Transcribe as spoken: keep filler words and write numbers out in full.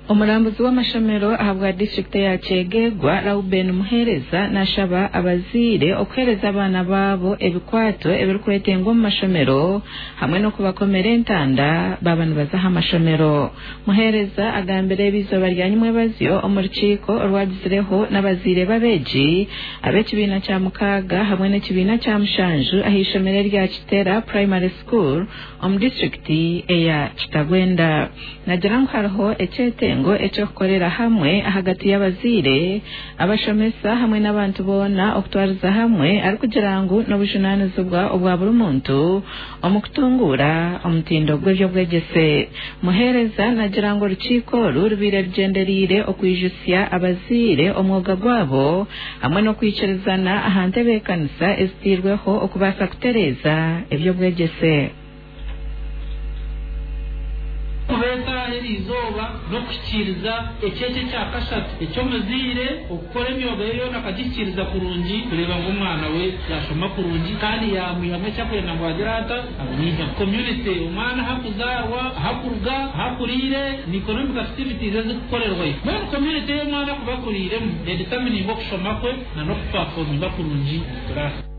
Omurambuzi w'amashomero ahabwa disitulikiti ya Kyegegwa, Reuben Muhereza, nashaba abazaire okuheereza abaana baabo ebikwato ebirikwetengwa omu mashomero hamwe n'okubakomera entanda baaba nibaza aha mashomero. Muhereza agambire ebi izooba rya nyimwebazyo omu rukiiko orwagizireho n'abazaire b'abeegi ab'ekibiina kya mukaaga hamwe n'ekibiina kya mushanju aha ishomero erya Kitera Primary School omu disitulikiti eya Kitagwenda. Nagira ngu hariho ekyetengo ekyokukorera hamwe ahagati y'abazaire, abashomesa hamwe n'abantu boona okutwariza hamwe, arikugira ngu n'obujunaanizibwa obwa buri muntu omu kutunguura omutindo gw'ebyobwegyese. Muhereza nagira ngu orukiiko oru rubaire rugyendereire okwijutsya abazaire omwoga gwabo hamwe n'okwikirizana aha ntebeekanisa ezitairweho okubaasa kutereeza ebyobwegyese. Kubeeta eri izooba n'okuhikiiriza ekyekyo ekya kashatu eky'omuzaire okukora emyoga ye yoona akagihikiiriza kurungi, kureeba ngu omwana we yashoma kurungi kandi yamwihamu ekyakwenda ngu agire ata amwihemu. Community omwana ahakuzaarwa, ahakuruga, ahakuriire, ni economic activities ezikukorerwayo. Mbwenu community ey'omwana akuba akuriiremu edetermininga okushoma kwe na n'okuperforminga kurungi omu class.